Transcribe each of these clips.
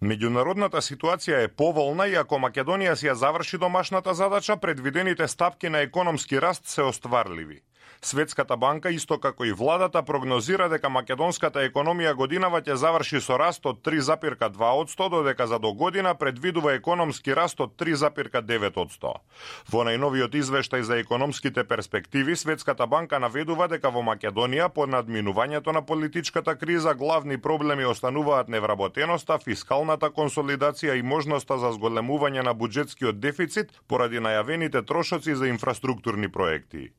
Меѓународната ситуација е поволна и ако Македонија си ја заврши домашната задача, предвидените стапки на економски раст се остварливи. Светската банка, исто како и владата, прогнозира дека македонската економија годинава ќе заврши со раст од 3,2%, додека за до година предвидува економски раст од 3,9%. Во најновиот извештај за економските перспективи, Светската банка наведува дека во Македонија, по надминувањето на политичката криза, главни проблеми остануваат невработеноста, фискалната консолидација и можноста за зголемување на буџетскиот дефицит поради најавените трошоци за инфраструктурни проекти.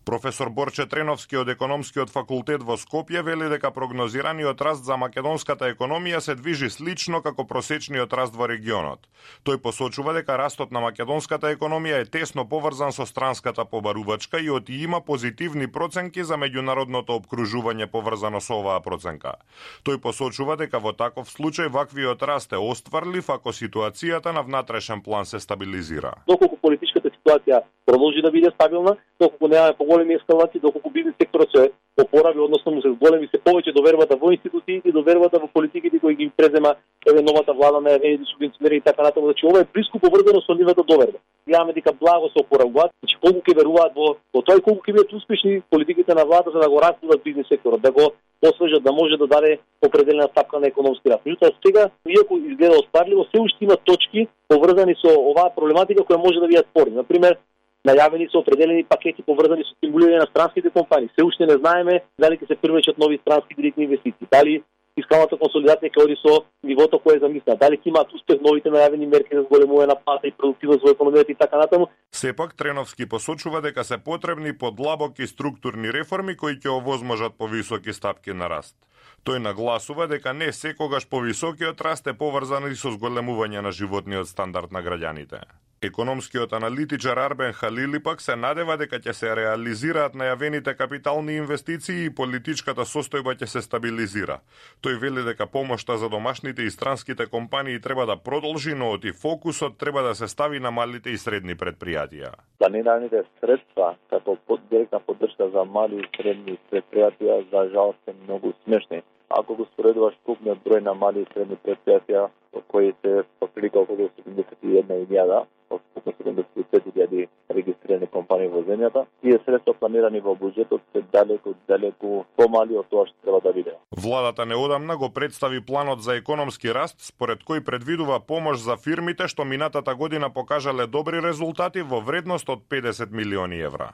Професор Борче Треновски од Економскиот факултет во Скопје вели дека прогнозираниот раст за македонската економија се движи слично како просечниот раст во регионот. Тој посочува дека растот на македонската економија е тесно поврзан со странската побарувачка и оти има позитивни проценки за меѓународното опкружување поврзано со оваа проценка. Тој посочува дека во таков случај ваквиот раст е остварлив ако ситуацијата на внатрешен план се стабилизира. Доколку политичката ситуација продолжи да биде стабилна, доколку немаме поголеми ескалации, доколку бизнес секторот се опорави, односно му се зголеми се повеќе довербата во институциите, довербата во политиките кои ги презема новата влада на евените субвенционери и така натаму. Значи ова е блиску поврзано со нивната доверба. Јаваме дека благо се опоравуваат, значи колку ќе веруваат во тоа и колку ќе бидат успешни политиките на владата за да го развиват бизнес секторот, да го освежат, да може да даде определена стапка на економски раст. Меѓутоа сега, иако изгледа остварливо, се уште има точки поврзани со оваа проблематика која може да биде спорна. Например, најавени се определени пакети поврзани со стимулирање на странските компании. Се уште не знаеме дали ќе се привлечат нови странски директни инвестиции, дали фискалната консолидација ќе оди со нивото кое е замислено, дали ќе имаат успех новите најавени мерки за зголемување на плата и продуктивност во економијата и така натаму. Сепак Треновски посочува дека се потребни подлабоки структурни реформи кои ќе овозможат повисоки стапки на раст. Тој нагласува дека не секогаш повисокиот раст е поврзан и со зголемување на животниот стандард на граѓаните. Економскиот аналитичар Арбен Халили пак се надева дека ќе се реализираат најавените капитални инвестиции и политичката состојба ќе се стабилизира. Тој вели дека помошта за домашните и странските компании треба да продолжи, но оти фокусот треба да се стави на малите и средни предпријатија. Планираните средства како директна поддршка за мали и средни предпријатија за жал се многу смешни. Ако го споредуваш купниот број на мали и средни предпријатија, кои се отприлика околу 71.000, од 75.000 регистрирани компании во земјата, тие средства планирани во буџетот се далеку помали од тоа што треба да биде. Владата неодамна го представи планот за економски раст, според кој предвидува помош за фирмите што минатата година покажале добри резултати во вредност од 50 милиони евра.